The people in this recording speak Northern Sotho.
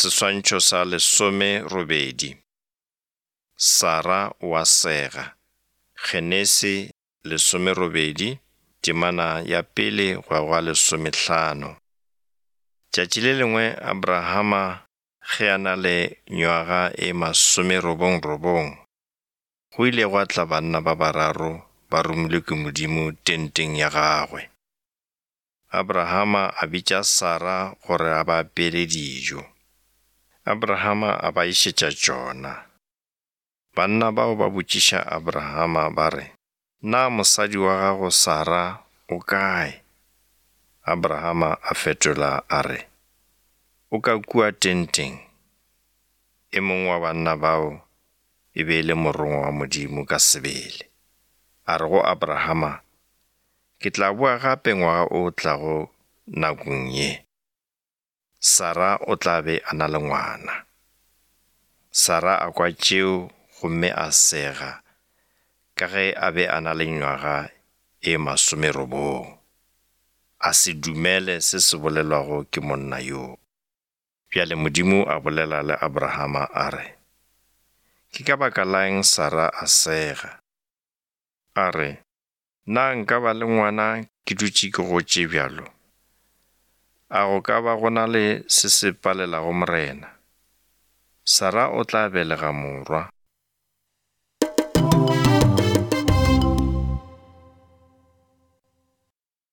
Seswantšho sa lesomerobedi. Sara o a sega. Genesi lesomerobedi, temana ya pele go ya go ya lesomehlano. Tšatši le lengwe Abrahama ge a na le nywaga e masomerobongrobong, go ile gwa tla banna ba bararo ba romilwe ke Modimo tenteng ya gagwe. Abrahama a bitša Sara gore a ba apeele dijo. Abrahama a ba išetša tšona. Banna bao ba botšiša Abrahama ba re, Na mosadi wa gago Sara o kae? Abrahama a fetola a re, O ka kua tenteng. E mongwe wa banna bao e be e le morongwa wa Modimo ka sebele. A re go Abrahama, Ke tla boa gape ngwaga o tlago nakong ye. Sara o tla be a na le ngwana. Sara a kwa tšeo gomme a sega ka ge a be a na le nywaga e masomerobong. A se dumele se se bolelwago ke monna yoo. Bjale Modimo a bolela le Abrahama a re, Ke ka baka la eng Sara a sega? A re, Na nka ba le ngwana ke dutše ke gotše bjalo? A go ka ba go na le se se palelago Morena? Sara o tla belega morwa.